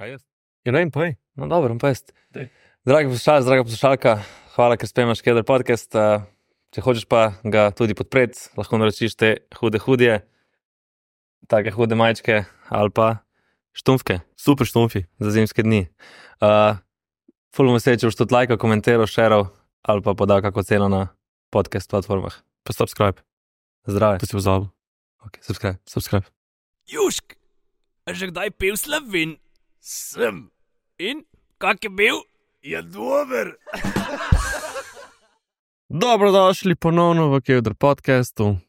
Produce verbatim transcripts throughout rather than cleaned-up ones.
Kaj jaz? Ja, ne vem, povej. No, dobro, pa jaz. Daj. Dragi poslušalec, draga poslušalka, hvala, ker spremljaš Keder podcast. Uh, če hočeš pa ga tudi podpreti, lahko naročiš te hude hudje, take hude majčke ali pa štumfke Super štumfi. za zimske dni. Uh, ful bomo se, če boš tudi lajkal, komentiral, šeral ali pa podal kako ceno na podcast platformah. Pa subscribe. Zdrave. To si pozabil. Ok, subscribe. Subscribe. Južk, a že kdaj pil Slovin? Sem. In, kak je bil? Je dober. Dobrodošli ponovno v Keder podcastu.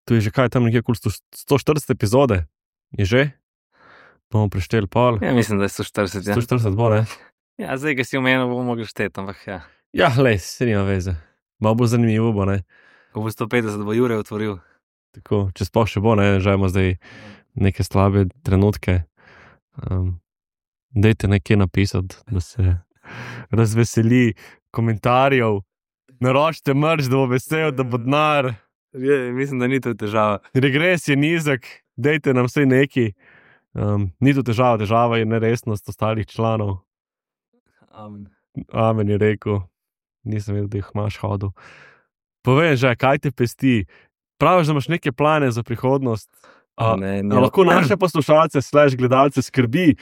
Tu je že kaj tam nekje okoli sto štirideset epizode. Je že? Bomo prešteli pol. Ja, mislim, da je sto štirideset. Ja, sto štirideset bo, ne? ja zdaj, ki si omenil, bomo mogli šteti, ampak ja. Ja, lej, se nima veze. Malo bo zanimivo, bo, ne? Ko bo sto petdeset, bo Jure otvoril. Tako, če sploh še bo, ne? Že imamo zdaj neke slabe trenutke. Um, dejte nekaj napisati, da se razveseli komentarjev. Naročite mrč, da bo vesel, da bo denar. Je, mislim, da ni to težava. Regres je nizek, dejte nam vsaj neki. Um, ni to težava, težava je neresnost ostalih članov. Amen. Amen je rekel. Nisem vedel, da jih imaš hodil. Povej že, kaj te pesti? Praviš, da imaš neke plane za prihodnost. A, Ne, ne. a lahko naše poslušalce, slash gledalce skrbi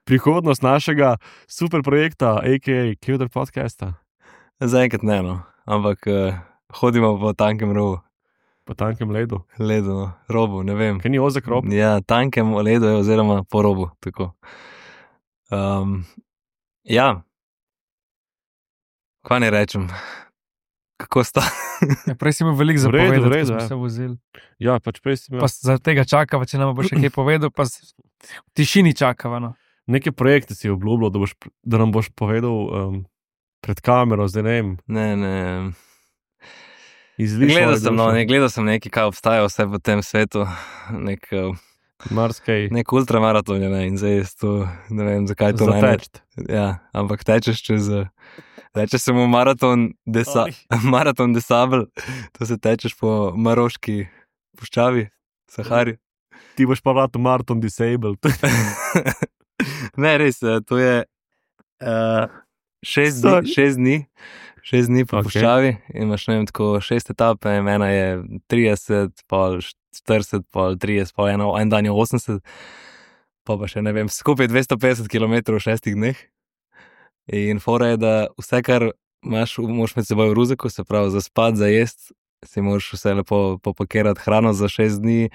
prihodnost našega super projekta, a k a. Keder podcasta. Zaenkrat ne, no. Ampak uh, hodimo po tankem robu. Po tankem ledu. Ledu, no. Robu, ne vem. Kaj ni ozek rob? Ja, tankem ledu je oziroma po robu, tako. Um, ja. Kaj ne rečem? Kako sta? Ja, prej si imel veliko V redu, zapovedati, v redu, ko smo ja. se vozili. Ja, pač prej si imel Pa za tega čakava, če nam bo še kaj povedal, pa s- v tišini čakava, no. neke projekte si obljubljal, da, boš, da nam boš povedal um, pred kamero, zdaj ne vem, Ne, ne. izlišal. Gledal sem, no, ne, gledal sem nekaj, kaj obstaja vse v tem svetu. Nek, uh, Marskaj nek ultramaraton je, ne, in zdaj jaz to, ne vem, zakaj to ne. zateč. Ja, ampak tečeš čez, uh, reče se mu maraton, desa, maraton desabel, to se tečeš po Maroški puščavi, Sahari. Ti boš pa vratu maraton disabled. Ne, res, eh, to je uh, šest, dni, Sorry. šest dni, šest dni po Ok. okay. puščavi in imaš, ne vem, tako šest etape, ena je trideset, pol štirideset, pol trideset, pol eno, en dan je osemdeset, pa pa še, ne vem, skupaj dvesto petdeset kilometrov v šestih dneh. In fora je, da vse, kar imaš, moraš med seboj v ruzeku, se pravi za spat, za jest, si moraš vse lepo popakirati hrano za šest dni.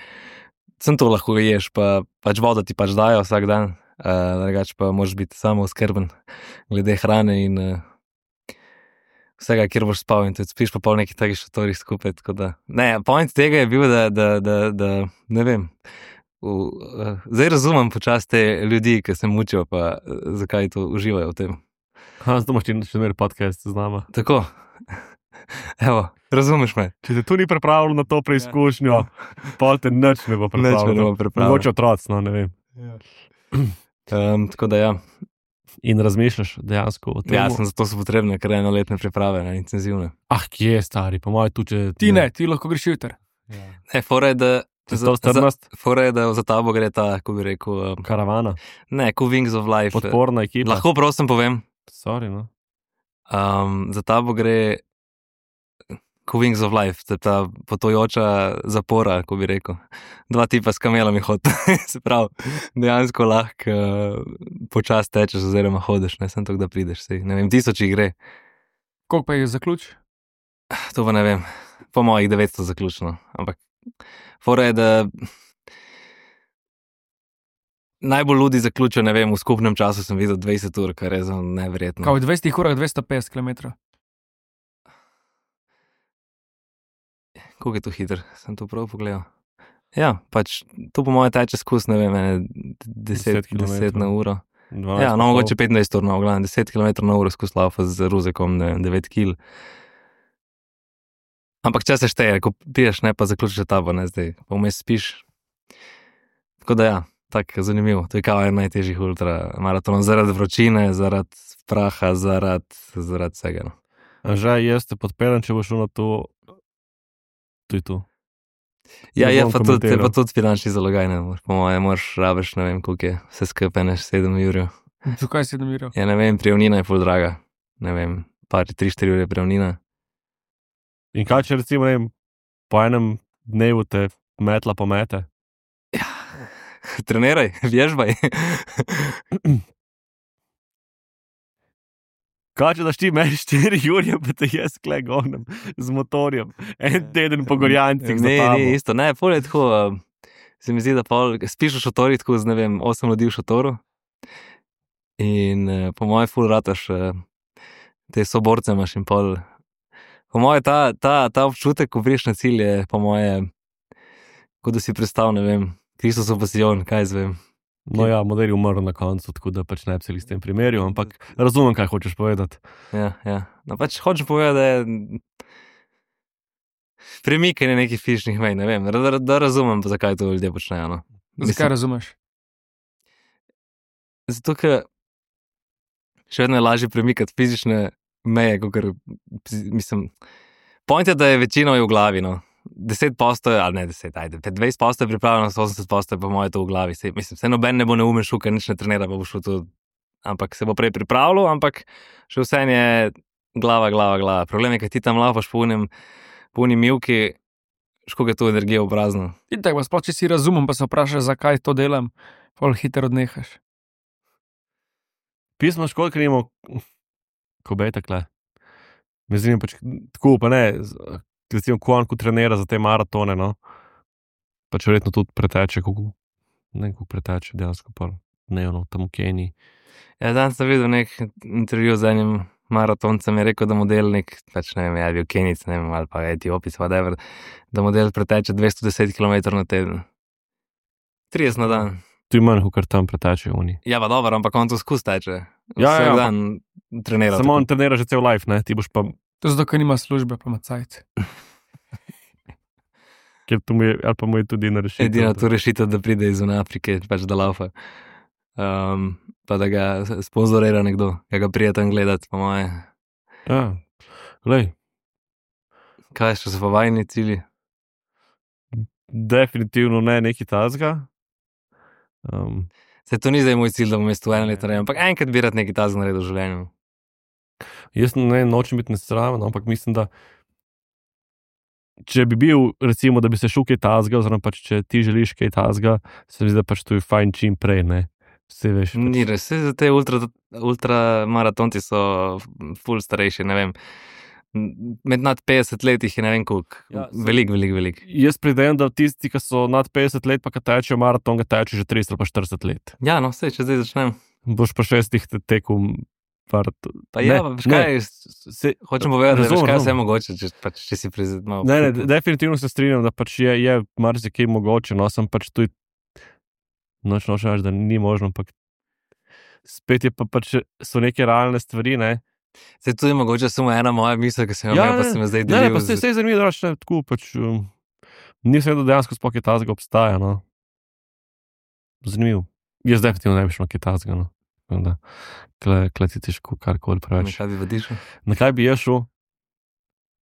Sem to lahko ješ, pa pač vodo ti pač dajo vsak dan, uh, drugače pa moraš biti samo oskrben glede hrane in uh, vsega, kjer boš spal in tudi spiš pa pol nekih takih šatorih skupaj, tako da. Ne, point tega je bil, da, da, da, da ne vem, v, uh, zdaj razumem počasi te ljudi, ki se mučijo, pa uh, zakaj to uživajo v tem. Ha, zdaj imaš ti še mer podcast z nama. Tako, evo, razumeš me. Če te tu ni pripravil na to preizkušnjo, pol te nič ne bo Nič me ne pripravil. bo pripravil. Mogoče otroc, no, ne vem. Um, tako da ja, In razmišljaš dejansko o tem. ja sem zato so potrebne kar enoletne priprave, ne, intenzivne. Ah, kje je stari, po mojem tu, če... Ti ne, ti lahko greš jutr. Ne, fora je, da Če sto strnast, Fora je, da za tabo gre ta, kako bi rekel, um, karavana, ne, Cool Wings of Life. podporna ekipa. Lahko prosim povem, Sorry, no. um, za tabo gre Cool Wings of Life, to je ta potojoča zapora, kako bi rekel. Dva tipa s kamelami hod, se pravi, dejansko lahko uh, počas tečeš oziroma hodiš, ne, sem to, da prideš, sej, ne vem, tisoč jih gre, Koliko pa je zaključ? to pa ne vem, po mojih devetsto zaključno, ampak fora je, da najbolj ludi zaključijo, ne vem, v skupnem času sem videl dvajset ur, kar je za neverjetno. Kao v dvajsetih urah dvesto petdeset kilometrov. Koliko je to hiter, sem to prav pogledal. Ja, pač to po moje teče skus, ne vem, ene deset, deset kilometrov. deset na uro. dvanajst Ja, pa no, pol. mogoče petnajst ur, no, v glavnem, deset kilometrov na uro skus laufa z ruzekom, ne vem, devet kil. Ampak če se šteje, ko piješ, ne, pa zaključiš etabo, ne, zdaj, pa vmes spiš. Tako da ja, tako zanimivo, to je kao en najtežjih ultramaratonov, zaradi vročine, zaradi praha, zaradi, zaradi vsega, no. Že jaz te podpeljem, če boš šel na to. To je to. Ja, Ne je bom pa tudi, je komentiral. pa tudi finančni zalogaj, ne, moraš- po mojem, moraš rabiš, ne vem, koliko je, vse skupaj neš sedem jurjev. Zakaj si domiral? Ja, ne vem, prijavnina je ful draga, ne vem, par, tri, štiri ure prijavnina. In kaj če recimo, ne vem, po enem dnevu te metla pomete? Treniraj, vježbaj. Kaj če daš ti meni štiri jurje, pa te jaz kle gonem z motorjem, en teden po gorjancih za Ne, tabo. ne, isto, ne, pol je tako, uh, se mi zdi, da pol, spiš v šotorih tako z, ne vem, osem ljudi v šotoru in uh, po mojem ful rataš uh, te soborce imaš in pol, po moje ta, ta, ta občutek, ko priješ na cilj je, po moje, kot da si prestal, ne vem, Kristusov pasijon, kaj zvem. No ja, model je umrl na koncu, tako da pač ne bi se s tem primerjal, ampak razumem, kaj hočeš povedati. Ja, ja. No pač hočem povedati, da je premikanje nekih fizičnih mej, ne vem, da, da, da razumem, zakaj to ljudje počnejo. No. Zakaj razumeš? Zato, ker še vedno je lažje premikati fizične meje, kot mislim. Point je, da je večina v glavi, no. deset postoje, ali ne deset, ajde, dvajset postoje je pripravljeno, osemdeset postoje pa moje to v glavi. Se, mislim, vse noben ne bo neumen šel, ker nič ne trenira, pa bo šel to, ampak se bo prej pripravljal, ampak še vse je glava, glava, glava. Problem je, ker ti tam lapaš po unem, po uni milki, škoga je to energija v prazno. In tako, sploh če si razumem, pa se vprašaš, zakaj to delam, pol hitro odnehaš. Pismo škod, ker nimamo, ko bej takle. Me zanima pač, tako pa ne, recimo, ko on ko trenira za te maratone, no, pač verjetno tudi preteče, kako, ne, kako preteče dejansko pa dnevno, tam v Keniji. Ja, danes sem videl nek intervju z enim maratoncem, je rekel, da model nek, pač ne vem, je bil Kenijec, ne vem, ali pa Etiopijec, whatever, da model preteče dvesto deset kilometrov na teden. trideset na dan. Tu je manj, kar tam preteče oni. Ja, pa dobro, ampak on to skus teče. Ja, Vsak ja, dan trenira. Samo tako. on trenira že cel life, ne, ti boš pa, To zato, ker nima službe, pa ima cajt. ker to mu je, ali pa mu je tudi na rešitev. Edina tu rešitev, da pride iz Afrike, pač da laufa. Um, pa da ga sponzorira nekdo, ki ga prije tam gledati, po moje. Ja, glej, Kaj še so pa vajni cilji? definitivno ne neki tazga. Um, Se to ni zdaj moj cilj, da bom jaz tu eno leto naredil, ampak enkrat bi rad nekaj tazga naredil v življenju. Jaz ne nočem biti nesramen, ampak mislim, da če bi bil, recimo, da bi se šel kaj tazga, oziroma pač če ti želiš kaj tazga, se mi zdi, da pač to je fajn čim prej, ne. Vse veš. Pač. Ni res, vse za te ultra, ultra maratonci so ful starejši, ne vem. Med nad petdeset let jih je ne vem koliko. Ja, se- Velik, velik, velik. Jaz pridajem, da tisti, ki so nad petdeset let, pa ki tečejo maraton, ga tečejo že trideset ali pa štirideset let. Ja, no, vse, če zdaj začnem. Boš pa šestih te- tekel maraton. Pa ja, pa veš kaj, Se, hočem povedati, da veš razumem, kaj vse je razumem. mogoče, če, pač, če si prizad malo. Ne, ne, definitivno se strinjam, da pač je, je marsikaj mogoče, no, sem pač tu noč nočem reči, da ni možno, ampak spet je pa pač, so neke realne stvari, ne. Se to je mogoče samo ena moja misel, ki sem jo Ja, imel, pa ne, sem jo zdaj Ne, delil. pa se z- vse zanimivo, da ne, tako pač, um, nisem vedel, da dejansko sploh kaj tazga obstaja, no. Zanimivo. Jaz definitivno ne bi šel na kaj tazga, no. Tako da, kle, kle ti težko karkoli Na preveč. kaj bi vadišel? Na kaj bi jaz šel?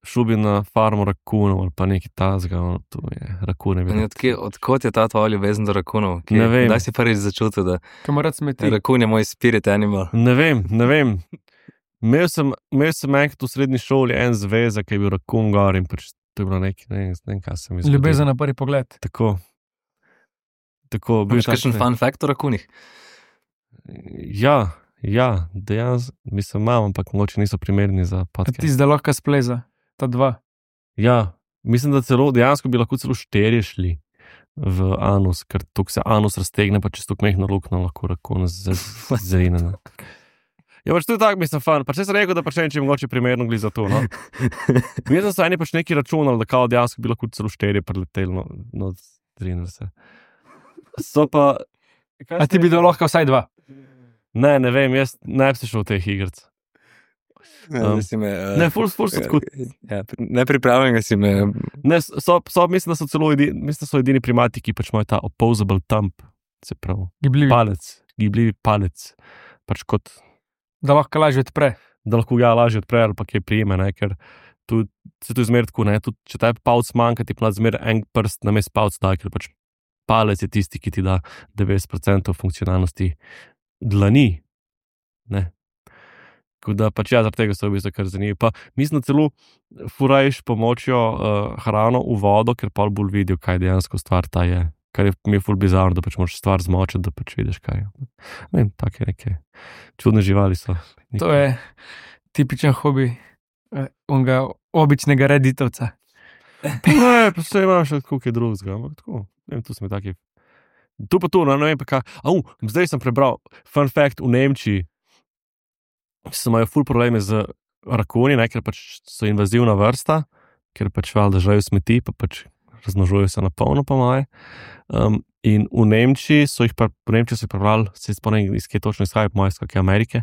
Šel bi na farmo rakunov ali pa neki tazga, no, to je, rakune bi. In Odkje, odkot je ta tvoja ljubezen do rakunov? Kje- Ne vem. Kdaj si prvič začutil, da Kam rad smeti. rakun je moj spirit animal? Ne vem, ne vem. Imel sem, imel sem enkrat v srednji šoli en zvezek, ki je bil rakun gor in pač to je bilo nekaj, ne, vem, ne vem, kaj se mi zgodi. Ljubezen na prvi pogled. Tako. Tako, bil Imaš tak- kakšen fun fact o rakunih? Ja, ja, dejansko, mislim, imam, ampak mogoče niso primerni za A podcast. ti zdaj lahko spleza, ta dva. Ja, mislim, da celo, dejansko bi lahko celo štirje šli v anus, ker tok se anus raztegne, pa čez to mehno luknjo lahko rakun zrine. Ja, pač to je tako, mislim, fan. Pač jaz sem rekel, da pač ne vem, če je mogoče primerno gli za to, no. Mislim, da so eni pač neki računali, da kao dejansko bi lahko celo štirje preleteli, no, no, zrine se. So pa... A ti bi dal lahko vsaj dva. Ne, ne vem, jaz ne bi se šel v teh igrc. Um, si me, uh, Ne, ful, ful so tako. Ja, nepripravljenega si me. Ne, so, so, mislim, da so celo edini, mislim, da so edini primati, ki pač imajo ta opposable thumb, se pravi, Gibljivi. palec, gibljivi palec, pač kot, Da lahko lažje odpre. da lahko ga lažje odpre ali pa kaj prijeme, ne, ker tu, se tu zmer tako, ne, tudi če te palc manjka, ti pa zmer en prst na mest palc da, ker pač palec je tisti, ki ti da devetdeset procentov funkcionalnosti dlani, ne. Tako da pač ja, zaradi tega so v bistvu kar zanimivi. Pa mislim, da celo furajš pomočjo uh, hrano v vodo, ker pol bolj vidijo, kaj dejansko stvar ta je. Kar je mi je ful bizarno, da pač moraš stvar zmočiti, da pač vidiš, kaj je. Ne vem, take neke čudne živali so. To je tipičen hobi eh, onega običnega reditovca. Ne, pa se imaš še kako je drugega, ampak tako, ne vem, tu smo taki. Tu pa tu, no, ne vem pa kaj. Au, zdaj sem prebral, fun fact, v Nemčiji so imajo ful probleme z rakuni, ne, ker pač so invazivna vrsta, ker pač valjda žrejo smeti, pa pač razmnožujejo se na polno po moje. Um, in v Nemčiji so jih, v Nemčiji so jih prebrali, se spomnim, iz kje točno izhajajo, po moje iz kakšne Amerike,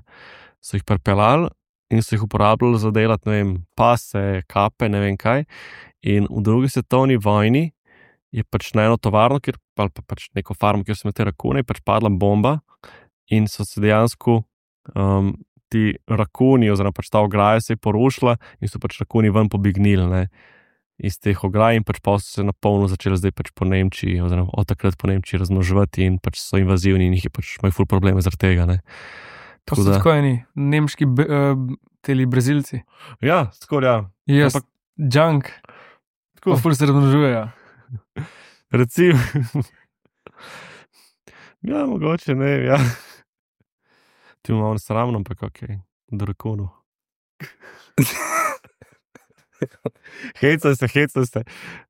so jih prepeljali in so jih uporabljali za delati, ne vem, pase, kape, ne vem kaj. In v drugi svetovni vojni je pač na eno tovarno, kjer, ali pa pač neko farmo, kjer so imeli te rakune, je pač padla bomba in so se dejansko um, ti rakuni, oziroma pač ta ograja se je porušila in so pač rakuni ven pobegnili, ne, iz teh ograj in pač pa so se na polno začeli zdaj pač po Nemčiji, oziroma od takrat po Nemčiji razmnoževati in pač so invazivni in jih je pač imajo ful probleme zaradi tega, ne. To so tako eni nemški uh, teli Brazilci. Ja, skoraj ja. Jaz, Ampak, junk, tako, pa ful se razmnožujejo. recimo, ja, mogoče, ne, ja. Ti imamo nesramno, ampak okej, okay. Drakonu. Hecam se, hecam se,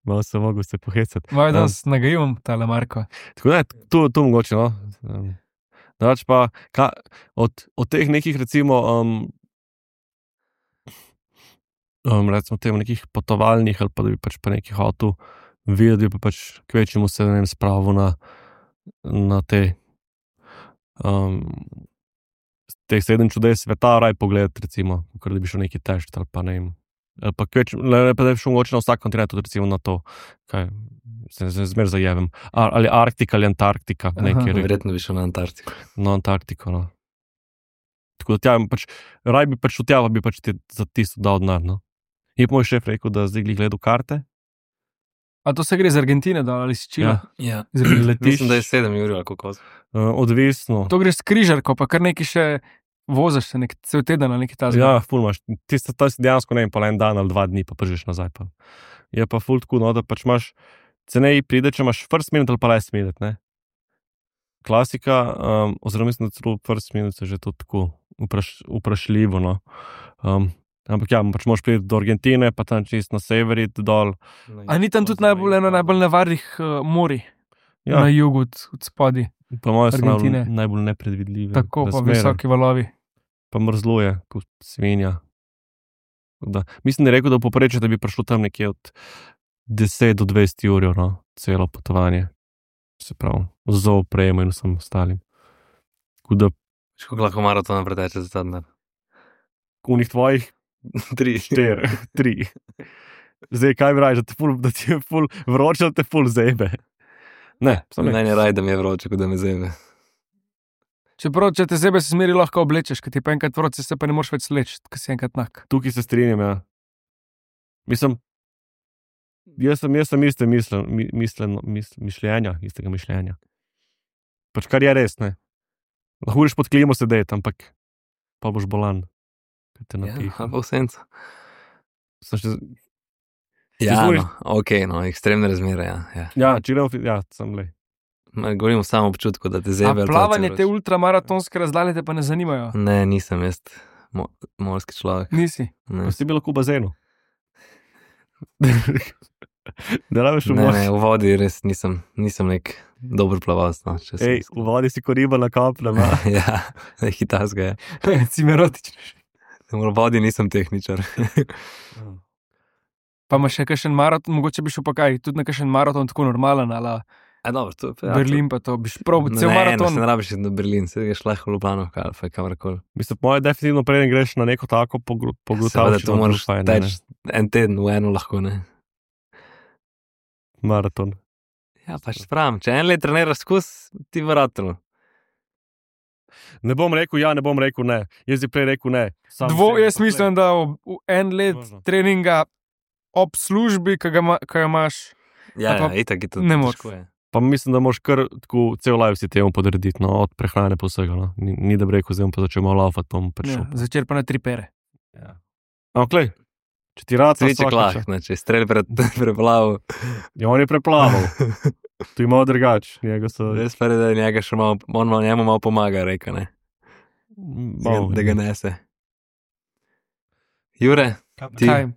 malo sem mogel se pohecati. Vaj, da s nagajim tale Marko. Tako da, tu, tu mogoče, no. Um, Drugač pa, ka, od, od teh nekih, recimo, um, um, recimo tem nekih potovalnih, ali pa da bi pač pa nekih avtu videl, pa pač kvečemu se, ne vem, spravo na, na te um, teh sedem čudes sveta, raj pogledati, recimo, kar da bi šel neki tešt, ali pa ne vem, ali pa kveč, ne pa da bi šel mogoče na vsak kontinent, recimo na to, kaj, se, se zmer zajevem, Ar, ali Arktika ali Antarktika, nekaj. Verjetno bi šel na Antarktiko. No, Antarktiko, no. Tako da tja, pač, raj bi pač v tja, bi pač ti za tisto dal denar, no. Je pa moj šef rekel, da zdaj gledal karte. A to se gre z Argentine, da ali si Čila? Ja. Z letišč. Mislim, da je sedem ur ali kako. Uh, odvisno. To greš s križarko, pa kar neki še voziš se nek cel teden ali nekaj tazga. Ja, ful imaš. Ti si dejansko, ne vem, pa en dan ali dva dni, pa pržiš nazaj. Pa. Je pa ful tako, no, da pač imaš cenej pride, če imaš first minute ali pa last minute, ne. Klasika, um, oziroma mislim, da celo first minute je že to tako vpraš, vprašljivo, no. Um, ampak ja, pač moraš priti do Argentine, pa tam čist na severi dol. A ni tam tudi najbolj, eno najbolj nevarnih uh, morij? Ja. Na jugu od, od spodi. Pa moje so Argentine. najbolj, najbolj nepredvidljive. Tako, pa razmere. visoki valovi. Pa mrzluje, kot svinja. Da, mislim, da je rekel, da poprečje, da bi prišlo tam nekje od deset do dvajset ur, no, celo potovanje. Se pravi, z opremo in vsem ostalim. Tako da, Kako lahko maratona preteče za ta denar? v njih tvojih Tri. štiri, tri. Zdaj, kaj bi raje, da, da ti je ful vroče, da te ful zebe. Ne, samo ne. Meni je raj, da mi je vroče, kot da me zebe. Čeprav, če te zebe se smeri lahko oblečeš, ker ti pa enkrat vroče, se pa ne moreš več sleči, ker si enkrat nak. Tukaj se strinjam, ja. Mislim, jaz sem, jaz sem iste mislen, mislen, misl, mišljenja, istega mišljenja. Pač kar je res, ne. Lahko greš pod klimo sedeti, ampak pa boš bolan. Te Ja, napiha. ali pa v senco. Sem še, Ja, Izvoliš- no, ok, no, ekstremne razmere, ja. ja. ja, če gremo, fi- ja, sem le. Ma, Govorim o samem občutku, da te A zebe. ali pa plavanje celo te vroče. ultramaratonske razdalje te pa ne zanimajo? Ne, nisem jaz mo morski človek. Nisi. Ne. Pa si bil lahko v bazenu. Da rabiš v Ne, morju. ne, v vodi res nisem, nisem nek dober plavalc. No, če sem Ej, iskren. v vodi si koriba na kopnem. a? Ja, hitarska je. Si merotičen. V vodi nisem tehničar. Pa imaš še kakšen maraton, mogoče bi šel pa kaj, tudi na kakšen maraton tako normalen, ali A, dobro, to, ja, Berlin pa to, biš prav to, cel ne, maraton. Ne, ne rabiš iti na Berlin, se greš lahko v Ljubljano, ali pa kamorkoli. Mislim, moje definitivno prej greš na neko tako Seveda, pogrutavščino. to moraš teči en teden v eno lahko, ne. Maraton. Ja, pač spravim, če en let treniraš skus, ti vratno. Ne bom rekel ja, ne bom rekel ne. Jaz bi prej rekel ne. Sam Dvo, sebi jaz poglej. mislim, da v, v en let Možno. treninga ob službi, ki ga, ima, ki ga imaš, Ja, pa ja, itak je to ne moreš. težko je. Pa mislim, da moraš kar tako cel live si temu podrediti, no, od prehrane pa vsega. No. Ni, ni da bi rekel, zdaj bom pa začel malo laufati, pa bom ja, prišel. začer pa na tri pere. Ja. Ampak, če ti rad Sviček lahko, če strelj pred preplavu. Ja, on je preplaval. Tu ima drugač. Njega so... Res pa je, da njega še malo, on malo, njemu malo pomaga, reka, ne? Malo, Da ga nese. Jure, ti Kaj?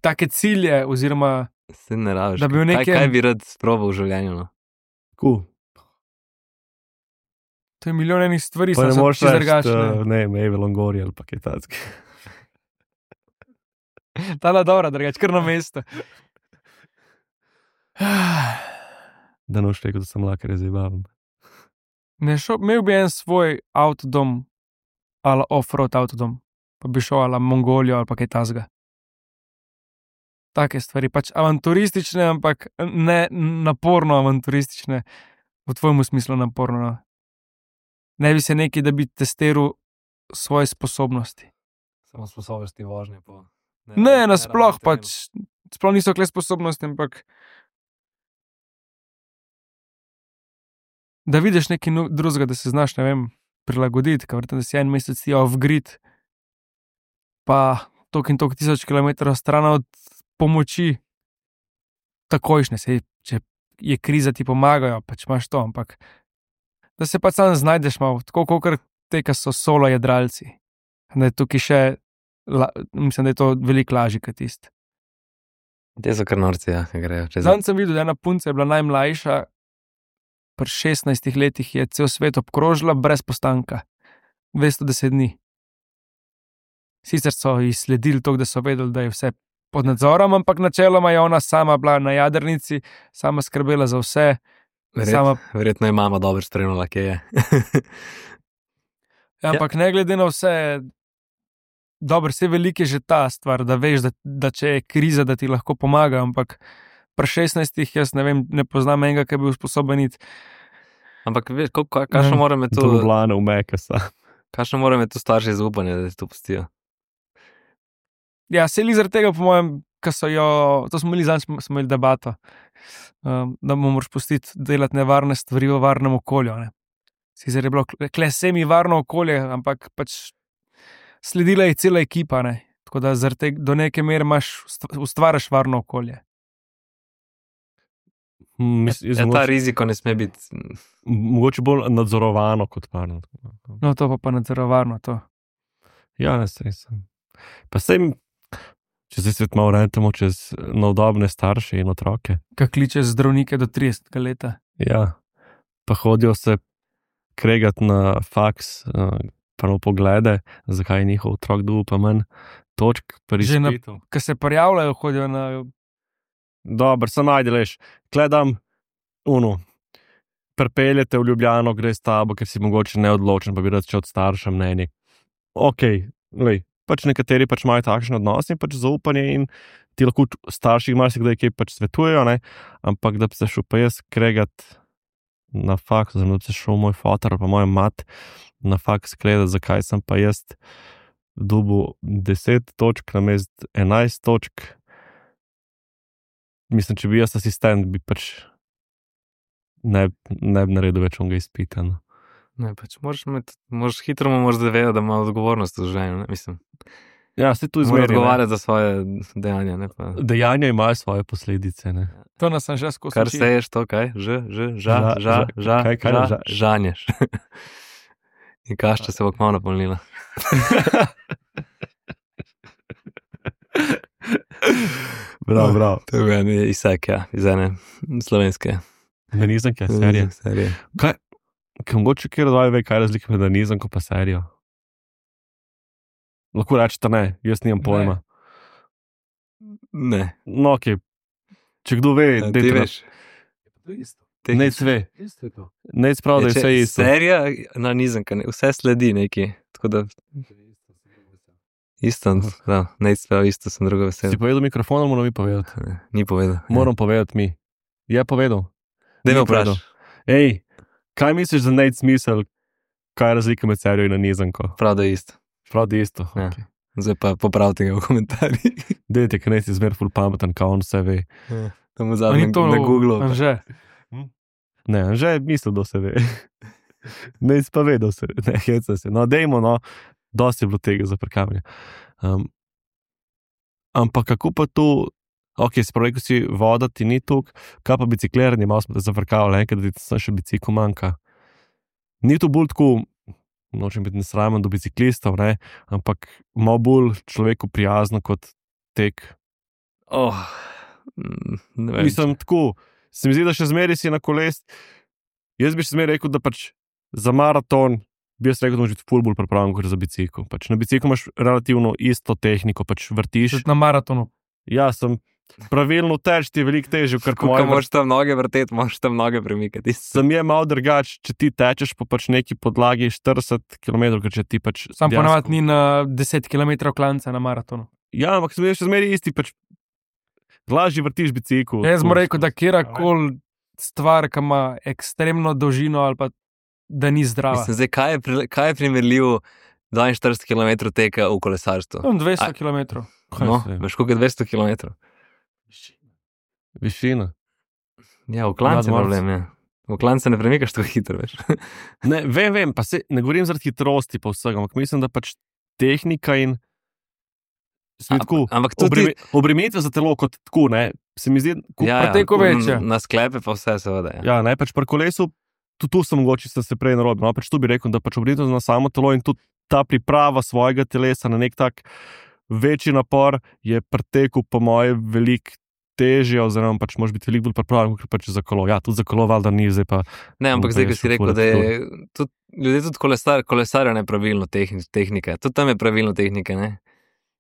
Take cilje, oziroma se ne rabiš. Da bi v Kaj, nekem- kaj bi rad sprobal v življenju, no? Cool. to je milijon enih stvari, Pa ne samo so moreš čisto reči, drugačne. uh, ne, Eve Longori ali pa kaj takega. Tala dobra, drugače, kar na mesto. Da noš rekel, da sem lakar zabaven. Ne šel, imel bi en svoj avtodom, ali off-road avtodom, pa bi šel ali Mongolijo ali pa kaj tasga. Take stvari, pač avanturistične, ampak ne naporno avanturistične, v tvojemu smislu naporno. No. Ne bi se neki, da bi testiral svoje sposobnosti. Samo sposobnosti vožnje po... Ne, nasploh pač, sploh niso kle sposobnosti, ampak da vidiš nekaj nu- drugega, da se znaš, ne vem, prilagoditi, ker verjetno, da si en mesec ti off-grid, pa tok in tok tisoč kilometrov stran od pomoči, takojšnje, sej, če je kriza, ti pomagajo, pač imaš to, ampak da se pač sam znajdeš malo, tako kot te, ki so solo jadralci. Da je tukaj še, la, mislim, da je to veliko lažje kot tisto. Te so kar norci, ja, ki grejo čez... Zdaj sem videl, da ena punca je bila najmlajša, pri šestnajstih letih je cel svet obkrožila brez postanka. dvesto deset dni. Sicer so ji sledili to, da so vedeli, da je vse pod nadzorom, ampak načeloma je ona sama bila na jadrnici, sama skrbela za vse. Verjet, Sama, Verjetno je mama dobro spremljala, kje je. ampak ne glede na vse, dobro, vse veliko je že ta stvar, da veš, da, da če je kriza, da ti lahko pomaga, ampak pri šestnajstih jaz ne vem, ne poznam enega, ki bi bil sposoben iti. Ampak veš, kako- kakšno mora me To to... Ljubljana, v Mekasa. Kakšno mora me to starši zaupanje, da ti to pustijo? Ja, se li zaradi tega, po mojem, ki so jo, to smo imeli zadnjič, smo imeli debato, um, da mu moraš pustiti delati nevarne stvari v varnem okolju. Ne. Sicer je bilo kle semi varno okolje, ampak pač sledila je cela ekipa, ne. Tako da zaradi tega do neke mere imaš, ustvariš varno okolje. Mislim, jaz Ja, ta mogoče, riziko ne sme biti... mogoče bolj nadzorovano kot varno. No, to pa pa nadzorovano to. Ja, ne sej sem. Pa sej, če se svet malo rentamo čez navdobne starše in otroke. Kaj kliče zdravnike do tridesetega leta. Ja, pa hodijo se kregati na faks, uh, prav poglede, zakaj je njihov otrok dobil pa manj točk pri Že na- izpitu. Kaj se prijavljajo, hodijo na... Dobro, se najdeš, gledam, unu, pripeljete v Ljubljano, gre s tabo, ker si mogoče neodločen, pa bi rad šel od starša mnenje. Ok, lej, pač nekateri pač imajo takšne odnose in pač zaupanje in ti lahko starši marsikdaj kaj pač svetujejo, ne? Ampak da bi se šel pa jaz kregat na faks, oziroma da bi se šel moj fotar pa moja mat na faks kregat, zakaj sem pa jaz dobil deset točk namesto enajst točk. Mislim, če bi jaz asistent, bi pač ne, ne bi naredil več onega izpita. No. Ne, pač moraš, med, moraš hitro mu moraš zavedati, da ima odgovornost v življenju, ne, mislim. Ja, se tu Mora izmeri. odgovarjati za svoje dejanja, ne pa... Dejanja imajo svoje posledice. Ne? To nas sem že skozi Kar učil. seješ, to kaj? Ž, ž, ža, Ža- ža, ža- ža, kaj- kaj ža, ža- žanješ. In kašča se bo kmalo napolnila. Prav, prav. To je bil en izsek, ja, iz ene slovenske Danizanke, serije. serije. Kaj, kaj mogoče kjer dvaj ve, kaj je razlika med danizanko pa serijo? Lahko rečete ne, jaz nimam pojma. Ne, No, ok. Če kdo ve, ja, ti dajte na- veš. Te- Nec ve. Nec prav, da je Ja, če- vse isto. Serija, na nizanka, ne, vse sledi neki, tako da... Isto, da, ne prav isto, sem drugo vesel. Si povedal mikrofon, ali moram mi povedati? Ne, Ni povedal. Moram povedati mi. Je povedal. Da me ni povedal. vprašaj. Ej, kaj misliš za Nate smisel, kaj je razlika med serijo in nanizanko. Prav da je isto. Prav da je isto. Ja. Okay. Zdaj pa popravite ga v komentarjih. Dejte, ker nisi zmer ful pameten, kao on vse ve. Ja. Tam v A zadnjem ni to na Googlu. Anže. Ne, že je mislil, da se ve. Ne, pa ve, da se ve. Ne, heca se. No, dejmo, no, dosti je bilo tega za prekavanje. Um, ampak kako pa tu, ok, spravi, ko si voda, ti ni tuk, kaj pa bicikliranje, malo smo te zafrkavali, enkrat, da ti še bicikl manjka. Ni to bolj tako, nočem biti nesramen do biciklistov, ne, ampak malo bolj človeku prijazno kot tek. Oh, ne vem. Mislim, tako, se mi zdi, da še zmeri si na koles. Jaz bi še zmeri rekel, da pač za maraton bi jaz rekel, da moraš biti ful bolj pripravljen kot za bicikl. Pač na biciklu imaš relativno isto tehniko, pač vrtiš. Na maratonu. Ja, sem pravilno teč, ti je veliko težje, ker Ko moraš tam noge vrteti, moraš tam noge premikati. Sem je malo drugač, če ti tečeš po pač neki podlagi štirideset kilometrov, ker če ti pač... Sam ponavadi ni na deset kilometrov klanca na maratonu. Ja, ampak sem je še zmeri isti, pač lažje vrtiš bicikl. Jaz moram reči, da kjerkoli stvar, ki ima ekstremno dolžino ali pa da ni zdrava. Mislim, zdaj, kaj je, pri- kaj je primerljivo dvainštirideset kilometrov teka v kolesarstvu? Tam dvesto A- kilometrov. No, veš, koliko je dvesto kilometrov? Višina. Ja, v klancu je Nadmorsk. problem, ja. V klancu ne premikaš tako hitro, veš. Ne, vem, vem, pa se, ne govorim zaradi hitrosti pa vsega, ampak mislim, da pač tehnika in se mi A- tako, ampak tudi- obreme, obremenitve za telo kot tako, ne, se mi zdi, ko, ja, pa teko večja. Na sklepe pa vse, seveda. Ja. ja, ne, pač pri kolesu, tudi tu sem mogoče, sem se prej narobil, no, pač tu bi rekel, da pač obremenitev na samo telo in tudi ta priprava svojega telesa na nek tak večji napor je pri teku po moje veliko težje, oziroma pač moraš biti veliko bolj pripravljen, kot pač za kolo. Ja, tudi za kolo valjda ni, zdaj pa Ne, ampak Bom zdaj, ko prej si rekel, šel da je tudi, ljudje tudi kolesar, kolesarjo nepravilno tehni, tehnike. Tudi tam je pravilno tehnike, ne?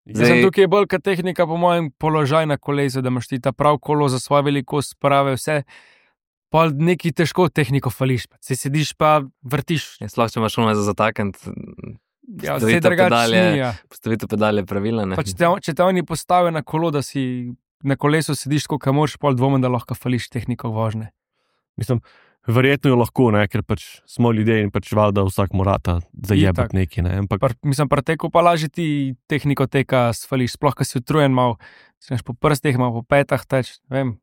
Zdaj, Zdaj- tukaj je bolj kot tehnika, po mojem, položaj na kolesu, da imaš ti ta prav kolo za svojo velikost, prave vse. Pa neki težko tehniko fališ, pa se sediš pa vrtiš. Ja, sploh, če imaš šume za zatakniti, Ja, Postavitev vse drugače pedalje- ni. Ja. postavitev pedal je pravilna, ne? Pa če te, če te oni postavijo na kolo, da si na kolesu sediš tako, kot moraš, pol dvomim, da lahko fališ tehniko vožnje. mislim, verjetno jo lahko, ne, ker pač smo ljudje in pač valjda vsak morata Itak. zajebati neki, ne, ampak Pr, mislim, pri teku pa lažje ti tehniko teka sfališ, sploh, ko si utrujen mal, si po prstih, mal po petah teč, vem.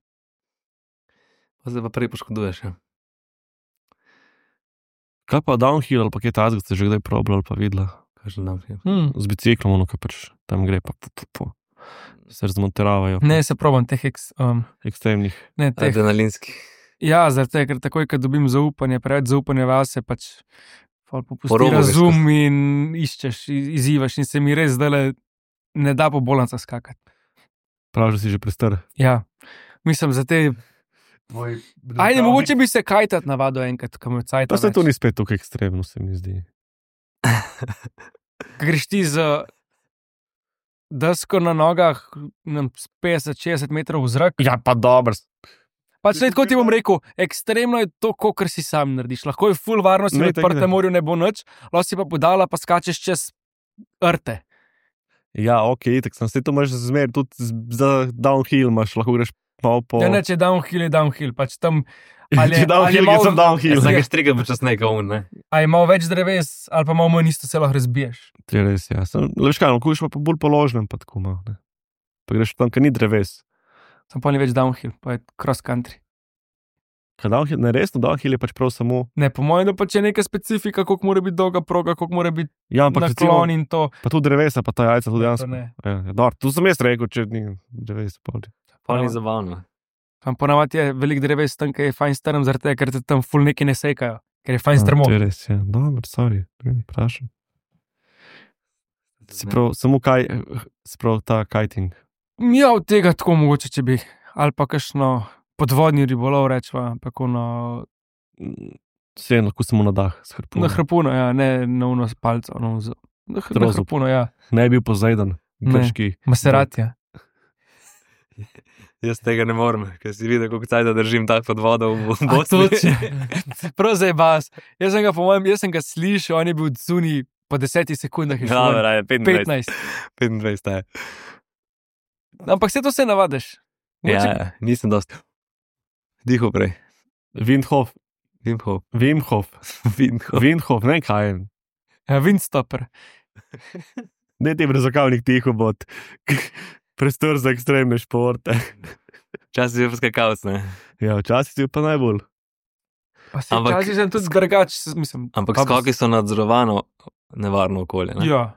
Pa zdaj pa prej poškoduješ, ja. kaj pa downhill ali pa kaj tazga, ste že kdaj probali ali pa videla? Kažem dan. Ja. Hmm. Z biciklom, ono, kaj pač tam gre, pa pu, pu, pu. se razmonteravajo. Ne, se probam teh, eks, um, Ekstremnih. ne, teh. Adrenalinski. Ja, zaradi tega, ker takoj, ko dobim zaupanje, preveč zaupanja vase, pač pol popusti Po robu greš razum in iščeš, iz- izzivaš in se mi res zdaj ne da po bolanca skakati. Prav, že si že prestar. Ja, mislim, za te. Ajde, mogoče bi se kajtat navadil enkrat, ko me cajta. Pa se to ni spet tako ekstremno, se mi zdi. Greš ti z desko na nogah, ne vem, s petdeset šestdeset metrov v zrak. Ja, pa dobro. Pač ne, tako ti bom rekel, ekstremno je to, kar si sam narediš. Lahko je full varnost, Ne, v tako odprtem ne. morju ne bo nič, lahko si pa podala, pa skačeš čez rte. Ja, ok, tako sem se to imaš zmer, tudi z- za downhill imaš, lahko greš malo po... Ja, ne, če je downhill, je downhill. Pač tam, Če ali je- ali je downhill, malo- malo... sem downhill. Ja, Vsake štrige počasneje, kot un, ne? a je malo več dreves, ali pa malo manj isto se lahko razbiješ. To je res, ja. Sem, le veš kaj, no, kuš pa po bolj položnem, pa tako malo, ne. Pa greš tam, ker ni dreves. Sem pa ni več downhill, pa je cross country. Kaj downhill, ne resno, downhill je pač prav samo... Ne, po mojem, da pač je neka specifika, koliko mora biti dolga proga, koliko mora biti Ja, ampak recimo, naklon in to. pa tudi drevesa, pa ta jajca tudi To dejansko. ne. Ja, ja, dobro, tu sem jaz rekel, če ni drevesa, pa tudi. Pa ni Ja. zabavno. Tam ponavadi je veliko dreves tam, ker je fajn strm, zaradi tega, ker te tam ful neki ne sekajo, ker je fajn strmo. To je res, ja. Dobro, sorry, ne vprašam. Se prav, samo kaj, se prav ta kiting. Ja, od tega tako mogoče, če bi, ali pa kakšno podvodni ribolov rečva, ampak ono, Vse lahko samo na dah, s harpunom. na hrpuno, ja, ne na uno s palco, no, z, na, hr- na Trozub. hrpuno, ja, Ne je bil pozajden, Ne. grški. maseratja. Jaz tega ne morem, ker si videl, kako cajt držim tak pod vodo v A Bosni. to če- Prav zdaj bas. Jaz sem ga, po mojem, jaz sem ga slišal, on je bil zunaj po desetih sekundah. je šel Ja, ven. raje, petindvajset. petnajst. petindvajset, je. Ampak se to se navadiš. Ja, Mogoče- ja, nisem dosti. Diho prej. Windhof, Vimhof. Wim Hof. Vimhof. Wim Hof, ne vem kaj je. Ja, Windstopper. Ne ti brezokavnik tiho bod. Prestor za ekstremne športe. Včasih je pa skakalc, ne? Ja, včasih si pa najbolj. Pa se Ampak- včasih sem tudi drugač, mislim. Ampak pa- skoki so nadzorovano nevarno okolje, ne? Ja.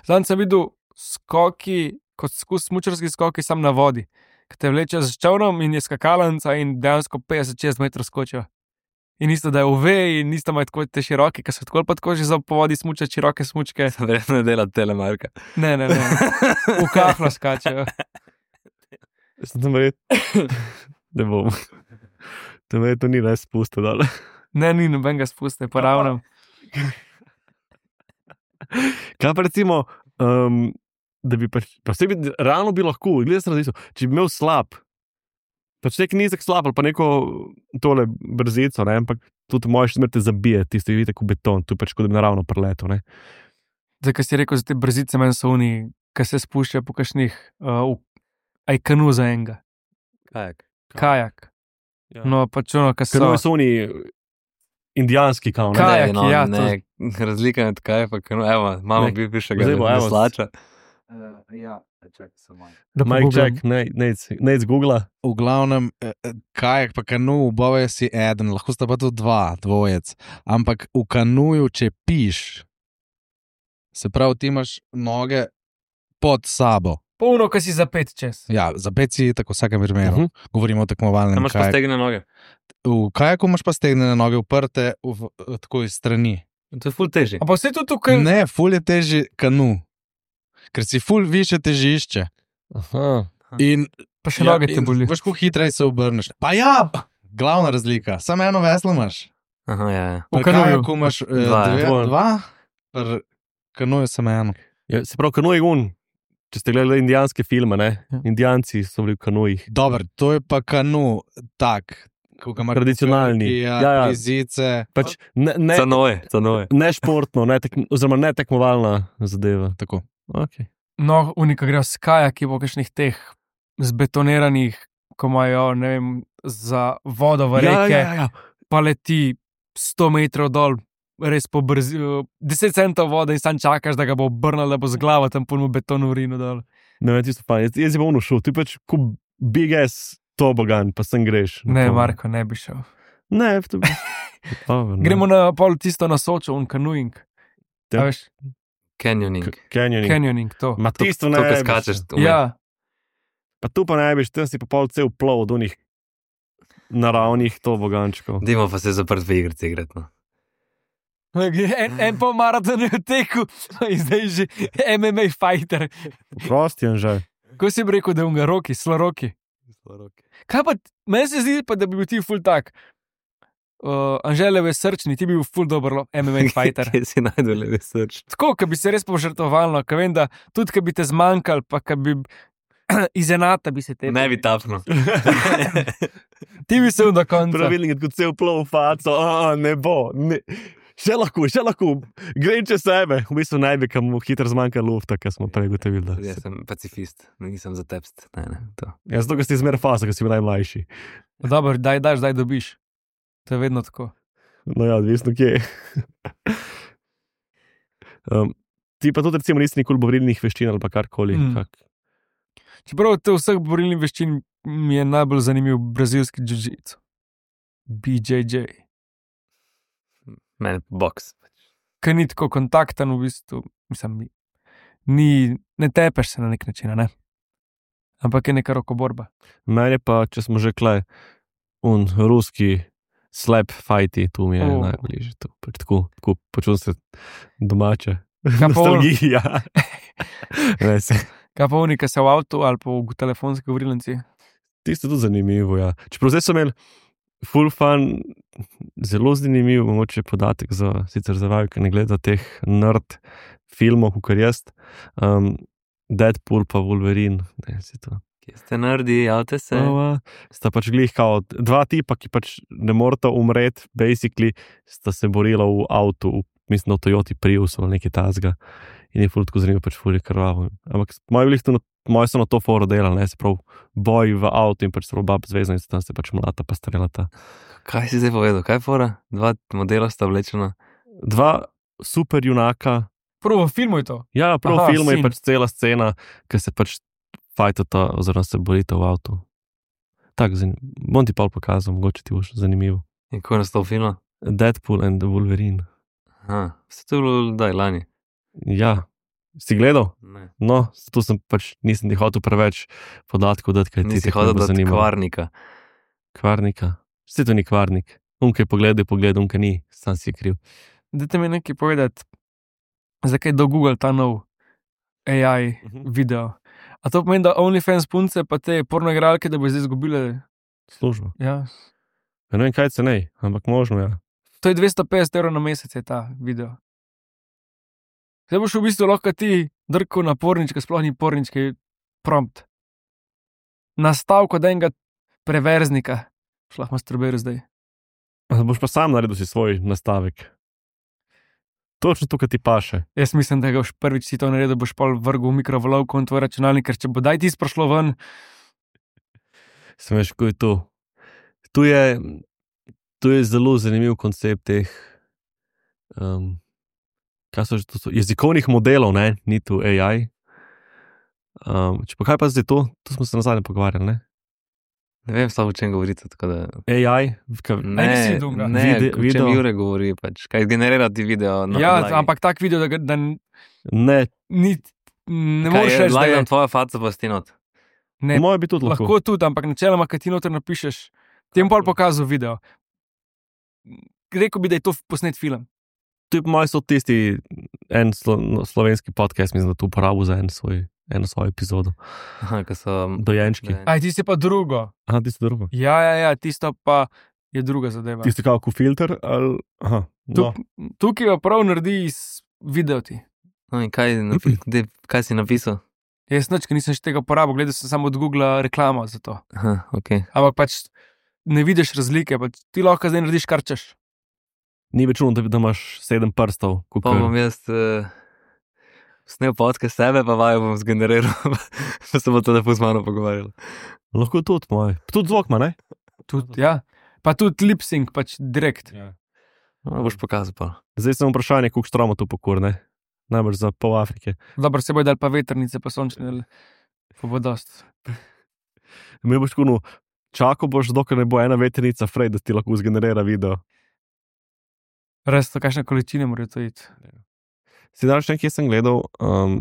Zdaj sem videl skoki, kot skus smučarski skoki, sam na vodi. Ki te vleče z čovnom in je skakalnica in dejansko petdeset šestdeset metrov skočijo. In isto, da je uve in isto imajo tako te široke, ki so tako ali pa tako že za po vodi smučati široke smučke. Verjetno ne dela telemarka. Ne, ne, ne. V kahlo skačejo. Sem tam red. Ne bom. Tam je to ni res spustil dol. Ne, ni nobenega spusta, pa ravno. Kaj pa recimo, um, da bi pač, pa vse bi, realno bi lahko, gledaj se različno, če bi imel slab, pač nek nizek slab ali pa neko tole brzico, ne, ampak tudi možeš smrti zabije, tisto je vidite kot beton, tu pač kot da bi naravno preleto, ne. Zdaj, kaj si rekel za te brzice, meni so oni, ki se spuščajo po kakšnih, uh, aj kanu za enega, Kajak. kajak. Ja. No, pač ono, ki so. Kanu so oni indijanski kao, ne. Kajak, Ne, no, ja, ne, razlika med kajak pa kanu, evo, imamo Ne. bi bivšega Zdaj bo, evo. veslača. Ja, čakaj samo. Da Mike pogooglam. Jack, ne, ne, ne z Googla. V glavnem, eh, eh, kajak pa kanu, obove si eden, lahko sta pa tudi dva, dvojec. Ampak v kanuju, če piš, se pravi, ti imaš noge pod sabo. Polno, ki si zapet čez. Ja, za pet si tako v vsakem primeru. Mhm. Uh -huh. Govorimo o tekmovalnem Tam imaš pa kajaku. stegne noge. V kajaku imaš pa stegnene noge uprte v, v, tako iz strani. To je ful teži. A pa vse to tukaj. Ne, ful je teži kanu, ker si ful više težišče. Aha. In Pa še noge te in boli. Veš, kako hitreje se obrneš. Pa ja, glavna razlika, samo eno veslo imaš. Aha, ja, ja. V Pri kanuju. kajaku imaš eh, Dva, ja. dve, Dvoje. dva, pri kanuju samo eno. Ja, se pravi, kanu je un. Če ste gledali indijanske filme, ne? Ja. Indijanci so bili v kanujih. Dobro, to je pa kanu tak, kot ga ima Tradicionalni. krki, Ja, Ja, ja. ja. Zice. Pač ne, ne, Canoje, canoje. ne športno, ne tek, oziroma ne tekmovalna zadeva. Tako. Okay. No, unika grejo s kajaki po kakšnih teh zbetoniranih, ko imajo, ne vem, za vodo v Ja, reke, ja, ja. pa leti sto metrov dol, res po brzini, deset centov vode in sam čakaš, da ga bo obrnil, da bo z glavo tam polno beton urino dol. Ne vem, tisto fajn. Jaz, jaz je bom šel, ti pač kot big ass tobogan, pa sem greš. na Ne, to. Marko, ne bi šel. Ne, to bi. Oh, ne. Gremo na pol tisto na Sočo, un kanuing. Ja. Ja. Veš, Canyoning. K- Canyoning. canyoning, to. Ma To- tisto to, ne ko bi skačeš. šel. vmes. Ja, Pa tu pa ne bi, tam si pa pol cel plov od onih naravnih tobogančkov. Dimo pa se zaprt v igrici igrati. No. en, en pol maraton je v teku, in zdaj že M M A fighter. Prosti je že. Ko si bi rekel, da je unga roki, sloroki. Kaj pa, meni se zdi, pa, da bi bil ti ful tak. Uh, Anželjev je srčni, ti bi bil ful dober M M A fighter. Kje si najdel levi srč? Tako, ki bi se res požrtovalno, ker vem, da tudi, ki bi te zmanjkal, pa ki bi izenata bi se te. Ne bi tapnil. Ti bi se do konca. Pravilnik, kot cel plov faco, a, ne bo. Ne. Še lahko, še lahko, grem čez sebe. V bistvu naj bi kam hitro zmanjka lufta, kar smo prej gotovili. Da. Jaz sem pacifist, nisem za tepst. Ne, ne, to. Ja, zato, ker si zmer fasa, ker si bil najmlajši. Dobro, daj, daš, daj dobiš. To je vedno tako. No ja, odvisno kje. um, ti pa tudi recimo nisi nikoli borilnih veščin ali pa karkoli. Mm. Kak. Čeprav od vseh borilnih veščin mi je najbolj zanimiv brazilski jiu-jitsu. B J J. Mene pa boks. Ker ni tako kontakten, v bistvu, mislim, ni, ne tepeš se na nek način, a ne? Ampak je neka rokoborba. Meni pa, če smo že klej, un ruski slap fighti, tu mi je O. oh. najbližje. Tu. Pač tako, tako počutim se domače. Kaj pa on- Nostalgija. Ne, se. Kaj pa unika se v avtu ali pa v telefonski govorilnici? Tisto je tudi zanimivo, ja. Čeprav zdaj so imeli full fun, zelo zanimiv, mogoče podatek za, sicer za vaju, ki ne gleda teh nerd filmov, kot jaz. Um, Deadpool pa Wolverine, ne, si to. Kje ste naredi, javte se. Ova, sta pač glih kao dva tipa, ki pač ne morata umreti, basically sta se borila v avtu, mislim, v Toyoti Priusu ali nekaj tazga. In je ful tako zanimivo, pač ful je krvavo. Ampak moji bili to, moji so na to foro delali, ne, se prav boj v avtu in pač so bab zvezani, tam se pač mlata pa strelata. Kaj si zdaj povedal, kaj je fora? Dva modela sta vlečena. Dva super junaka. Prvo v filmu je to. Ja, prav Aha, v filmu je sin. pač cela scena, ki se pač fajtata oziroma se borita v avtu. Tako, zan... bom ti pa pokazal, mogoče ti bo še zanimivo. In ko je nastal film? Deadpool and the Wolverine. Aha, vse to je bilo daj lani. Ja, si gledal? Ne. No, tu sem pač, nisem ti hotel preveč podatkov dati, kaj ti Nisi te hodil bo do zanimalo. kvarnika. Kvarnika. Vse to ni kvarnik. Unke pogleda, pogleda, unke ni, sam si kriv. Dajte mi nekaj povedati, zakaj do Google ta nov A I Mhm. video. A to pomeni, da OnlyFans punce pa te pornoigralke, da bo zdaj izgubile? Služba. Ja. Ja, ne vem, kaj cenej, ampak možno, ja. To je dvesto petdeset evrov na mesec je ta video. Zdaj boš v bistvu lahko ti drko na pornička, sploh ni pornički prompt. Nastavko da enega preverznika. Šlah masturbiral zdaj. A boš pa sam naredil si svoj nastavek. Točno to, kar ti paše. Jaz mislim, da ga boš prvič si to naredil, boš pol vrgel v mikrovalovko in tvoj računalnik, ker če bo daj ti sprašlo ven, Sem veš, ko je to. Tu je, tu je zelo zanimiv koncept teh, um, kaj so že to, so jezikovnih modelov, ne, ni tu A I. Um, če pa kaj pa zdaj to, to smo se nazadnje pogovarjali, ne? Ne vem, samo o čem govorite, tako da... A I, ka, Ne, nisi dunga. ne, Vide- o čem video. Jure govori, pač, kaj generirati video na ja, podlagi. ampak tak video, da, ga- da n- ne, ni, ne Kaj moreš je, reči, da je. lagam tvoja faca pa stinot. Ne, moje bi tudi lahko. lahko tudi, ampak načeloma, kad ti noter napišeš, ti bom pol pokazal video. Rekel bi, da je to posnet film. To je po mojem so tisti en slo, no, slovenski podcast, mislim, da to uporabil za en svoj, eno svojo epizodo. Aha, ko so... Dojenčki. Ne. Aj, ti si pa drugo. Aha, tisto drugo. Ja, ja, ja, tisto pa je druga zadeva. Tisti kako filter ali... Aha, no. Tuk, tukaj jo prav naredi iz videoti. No in kaj, napi, de, kaj si napisal? Jaz nič, ker nisem še tega uporabil, gledal sem samo od Google reklamo za to. Aha, ok. Ampak pač ne vidiš razlike, pač ti lahko zdaj narediš kar češ. Ni več čudno, da, da imaš sedem prstov. Pa kakor- bom jaz uh, snel podcast sebe, pa vajo bom zgeneriral, pa se bo to lepo z mano pogovarjalo. Lahko tudi moj. Tudi zvok ima, ne? Tud, ja. Pa tudi lip sync, pač direkt. Ja. No, boš pokazal pa. Zdaj sem vprašanje, koliko štromo to pokur, ne? Najbrž za pol Afrike. Dobro, se bo dal pa vetrnice, pa sončne, pa bo dost. Mi boš kuno, čakal boš, dokler ne bo ena vetrnica frej, da ti lahko zgenerira video. Res to, kakšne količine morajo to iti. Si danes še nekaj sem gledal, um,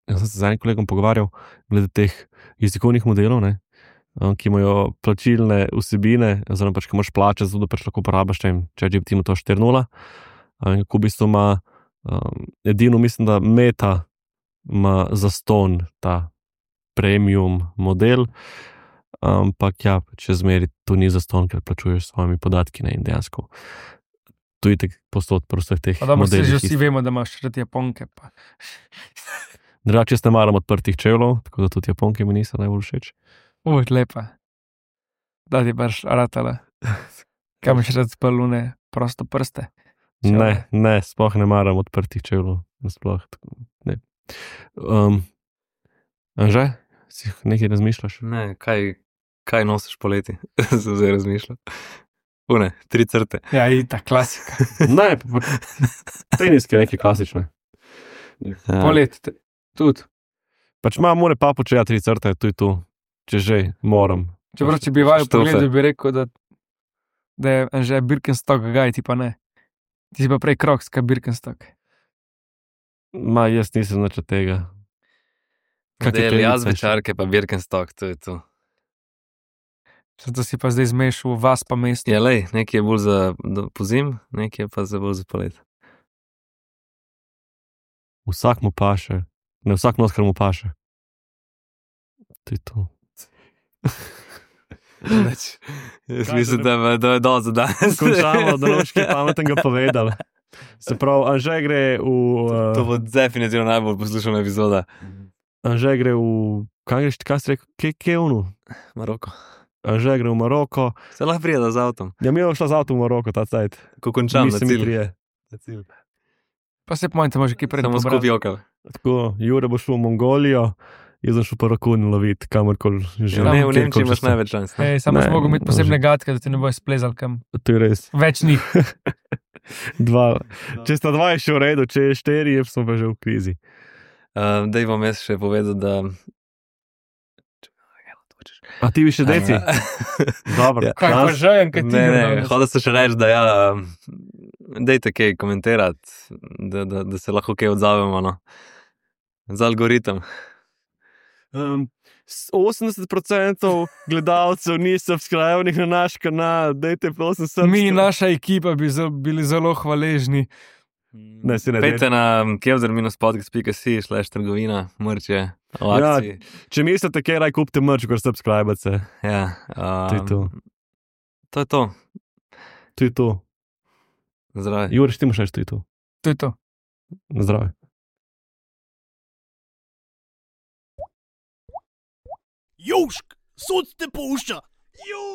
jaz sem se z enim kolegom pogovarjal, glede teh jezikovnih modelov, ne, um, ki imajo plačilne vsebine, oziroma pač, ki moraš plačati, zato da pač lahko uporabiš, če G P T ima to štiri nula. Um, kako v bistvu ima, um, edino mislim, da Meta ima zaston ta premium model, ampak ja, če zmeri to ni zaston, ker plačuješ s svojimi podatki, ne, in dejansko. Tu je tako posod po vseh teh Pa dobro, se modelih. že vsi vemo, da imaš rad Japonke. Pa. Drugače, jaz ne maram odprtih čevljev, tako da tudi Japonke mi niso najbolj všeč. Uj, lepa. Da ti baš ratala. Kaj imaš rad spalune, prosto prste? Čevlje. Ne, ne, sploh ne maram odprtih čevljev. Sploh, tako, ne. Um, Anže, si nekaj razmišljaš? Ne, kaj, kaj nosiš poleti? Sem zdaj razmišljal. Une, tri crte. Ja, in ta klasika. Ne, teniske neke klasične. Ja. Polet, te- tudi. Pač imam more papuče, ja, tri crte, tu je tu, če že moram. Čeprav, če bi vaju Štofe. pogledal, bi rekel, da, da je že Birkenstock gaj, ti pa ne. Ti si pa prej Crocs, kaj Birkenstock. Ma, jaz nisem nič od tega. Kakšne Del tenice jaz še? večarke, pa Birkenstock, to je to. Zato si pa zdaj zmešal vas pa mesto. Ja, lej, nekaj je bolj za do- pozim, nekaj je pa za bolj za polet. Vsak mu paše, ne vsak nos, kar mu paše. To je to. Jaz Kaj, mislim, da da, da je do za danes. Končamo, da boš kaj pametnega povedal. Se pravi, Anže gre v... To Uh, bo definitivno najbolj poslušana epizoda. Anže gre v... Kaj greš, kaj si rekel? Kje, kje je ono? Maroko. Anže gre v Maroko. Se lahko prijeda z avtom. Ja, mi je šla z avtom v Maroko ta cajt. Ko končam na Mislim, mi cilj. trije. Na cilj. Pa se pomanjte, može kaj prej Samo skupaj okal. Tako, Jure bo šel v Mongolijo, Jaz sem šel pa rakun loviti, kamorkoli že. Ja, ne, v kjerkoli Nemčiji imaš že sem. največ šans. ne? Ej, samo Ne, si mogel imeti to posebne že- gatke, da ti ne bojo splezali kam. To je res. Več ni. Dva. Če sta dva je še v redu, če je štiri, je smo pa že v krizi. Uh, Dej bom jaz še povedal, da. A ti bi še deci? Dobro. Ja. Kaj pa žejem, kaj ti Ne, ne, danes? hodil sem še reči, da ja, um, dejte kaj komentirati, da, da, da se lahko kaj odzovemo. No. Za algoritem. Um, osemdeset procentov gledalcev ni subscribenih na naš kanal, dajte prosim subscribe. Mi, naša ekipa, bi zelo, bili zelo hvaležni. Ne, si ne Pejte na kevzer minus podcast pika si slash trgovina, mrče, o Ja, akciji. Če mislite, kaj raj kupite mrč, kot subscribe-ce. Ja, To je to. um, to je to. To je to. Zdravo. Juriš, ti moš reči, to je to. To je to. Na zdravje. Južk, sod te pušča. Južk.